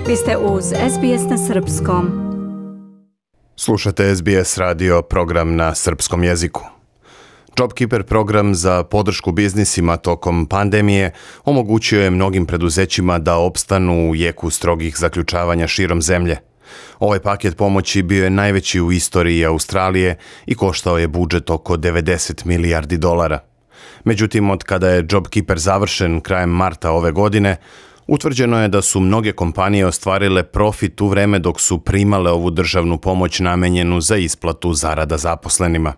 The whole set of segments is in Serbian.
Vi ste uz SBS na Srpskom. Slušate SBS radio, program na srpskom jeziku. JobKeeper program za podršku biznisima tokom pandemije omogućio je mnogim preduzećima da opstanu u jeku strogih zaključavanja širom zemlje. Ovaj paket pomoći bio je najveći u istoriji Australije i koštao je budžet oko 90 milijardi dolara. Međutim, od kada je JobKeeper završen krajem marta ove godine, utvrđeno je da su mnoge kompanije ostvarile profit u vreme dok su primale ovu državnu pomoć namenjenu za isplatu zarada zaposlenima.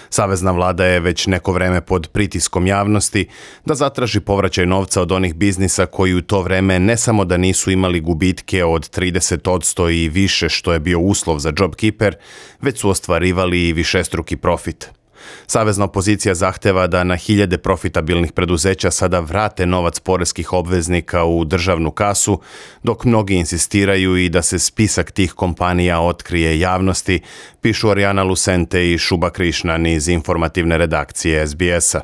Savezna vlada je već neko vreme pod pritiskom javnosti da zatraži povraćaj novca od onih biznisa koji u to vreme ne samo da nisu imali gubitke od 30% i više što je bio uslov za JobKeeper, već su ostvarivali i višestruki profit. Savezna opozicija zahteva da na hiljade profitabilnih preduzeća sada vrate novac poreskih obveznika u državnu kasu, dok mnogi insistiraju i da se spisak tih kompanija otkrije javnosti, pišu Arijana Lucente i Šuba Krišnan iz informativne redakcije SBS-a.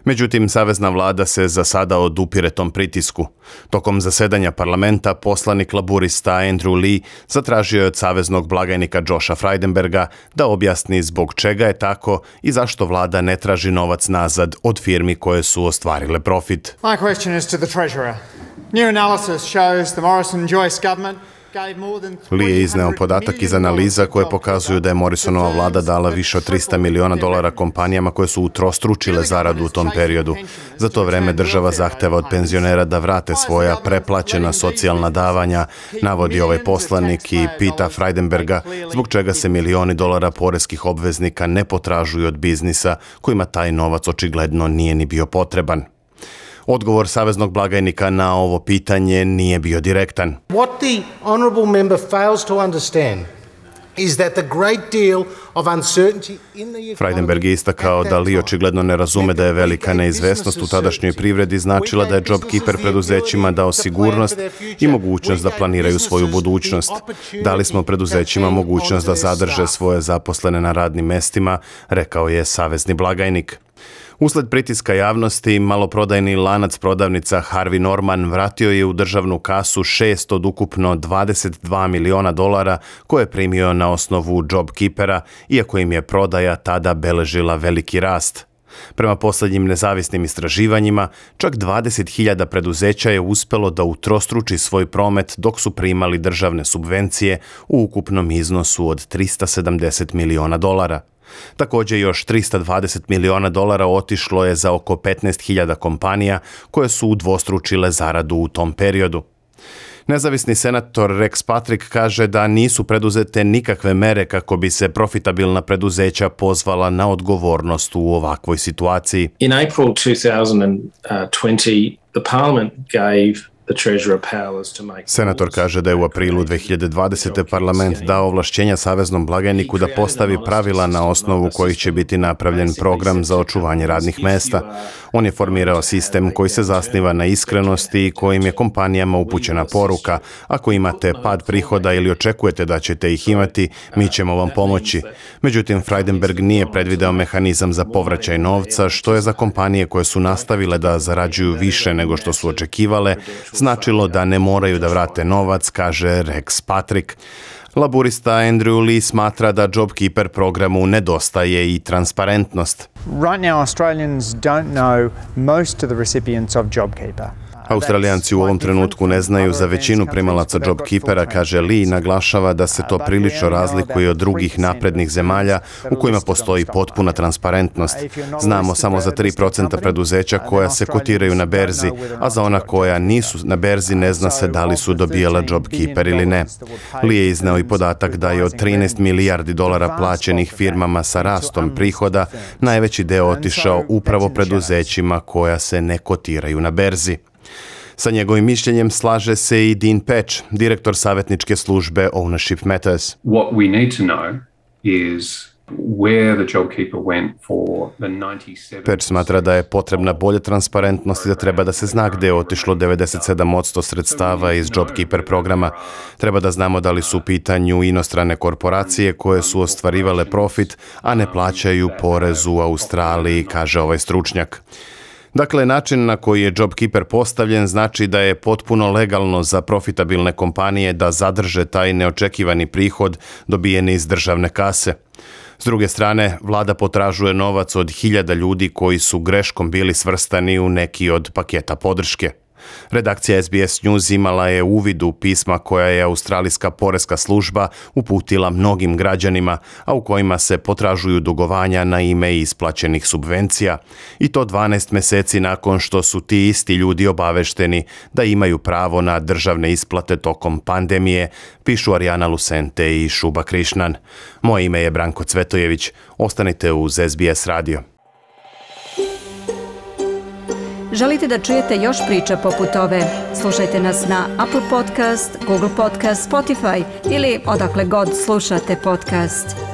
Međutim, savezna vlada se za sada odupire tom pritisku. Tokom zasedanja parlamenta poslanik laburista Andrew Lee zatražio je od saveznog blagajnika Josha Frydenberga da objasni zbog čega je tako i zašto vlada ne traži novac nazad od firmi koje su ostvarile profit. My question is to the Treasurer. New analysis shows the Morrison-Joyce government. Lee je izneo podatak iz analiza koje pokazuju da je Morrisonova vlada dala više od 300 miliona dolara kompanijama koje su utrostručile zaradu u tom periodu. Za to vreme država zahteva od penzionera da vrate svoja preplaćena socijalna davanja, navodi ovaj poslanik i pita Frydenberga zbog čega se milioni dolara poreskih obveznika ne potražuju od biznisa kojima taj novac očigledno nije ni bio potreban. Odgovor saveznog blagajnika na ovo pitanje nije bio direktan. What the honourable member fails to understand is that the great deal of uncertainty in the economy. Frydenberg je istakao da Lee očigledno ne razume da je velika neizvesnost u tadašnjoj privredi značila da je JobKeeper preduzećima dao sigurnost i mogućnost da planiraju svoju budućnost. Dali smo preduzećima mogućnost da zadrže svoje zaposlene na radnim mestima, rekao je savezni blagajnik. Usled pritiska javnosti, maloprodajni lanac prodavnica Harvey Norman vratio je u državnu kasu 6 od ukupno 22 miliona dolara koje je primio na osnovu JobKeepera, iako im je prodaja tada beležila veliki rast. Prema posljednjim nezavisnim istraživanjima, čak 20.000 preduzeća je uspelo da utrostruči svoj promet dok su primali državne subvencije u ukupnom iznosu od 370 miliona dolara. Također još 320 miliona dolara otišlo je za oko 15.000 kompanija koje su udvostručile zaradu u tom periodu. Nezavisni senator Rex Patrick kaže da nisu preduzete nikakve mere kako bi se profitabilna preduzeća pozvala na odgovornost u ovakvoj situaciji. In April 2020, the Parliament gave Senator kaže da je u aprilu 2020. parlament dao ovlašćenja saveznom blagajniku da postavi pravila na osnovu kojih će biti napravljen program za očuvanje radnih mesta. On je formirao sistem koji se zasniva na iskrenosti i kojim je kompanijama upućena poruka: ako imate pad prihoda ili očekujete da ćete ih imati, mi ćemo vam pomoći. Međutim, Frydenberg nije predvideo mehanizam za povraćaj novca, što je za kompanije koje su nastavile da zarađuju više nego što su očekivale značilo da ne moraju da vrate novac, kaže Rex Patrick. Laburista Andrew Lee smatra da JobKeeper programu nedostaje i transparentnost. Right now Australians don't know most of the recipients of JobKeeper. Australijanci u ovom trenutku ne znaju za većinu primalaca JobKeepera, kaže Lee, naglašava da se to prilično razlikuje od drugih naprednih zemalja u kojima postoji potpuna transparentnost. Znamo samo za 3% preduzeća koja se kotiraju na berzi, a za ona koja nisu na berzi ne zna se da li su dobijala JobKeeper ili ne. Lee je izneo i podatak da je od 13 milijardi dolara plaćenih firmama sa rastom prihoda najveći deo otišao upravo preduzećima koja se ne kotiraju na berzi. Sa njegovim mišljenjem slaže se i Dean Patch, direktor savjetničke službe Ownership Matters. What we need to know is where the JobKeeper went for the 97%. Patch smatra da je potrebna bolja transparentnost i da treba da se zna gde je otišlo 97% sredstava iz JobKeeper programa. Treba da znamo da li su u pitanju inostrane korporacije koje su ostvarivale profit, a ne plaćaju porez u Australiji, kaže ovaj stručnjak. Dakle, način na koji je JobKeeper postavljen znači da je potpuno legalno za profitabilne kompanije da zadrže taj neočekivani prihod dobijen iz državne kase. S druge strane, vlada potražuje novac od 1000 ljudi koji su greškom bili svrstani u neki od paketa podrške. Redakcija SBS News imala je uvid u pisma koja je australijska poreska služba uputila mnogim građanima, a u kojima se potražuju dugovanja na ime isplaćenih subvencija, i to 12 mjeseci nakon što su ti isti ljudi obavešteni da imaju pravo na državne isplate tokom pandemije, pišu Arijana Lucente i Šuba Krišnan. Moje ime je Branko Cvetojević. Ostanite uz SBS radio. Želite da čujete još priča poput ove? Slušajte nas na Apple Podcast, Google Podcast, Spotify ili odakle god slušate podcast.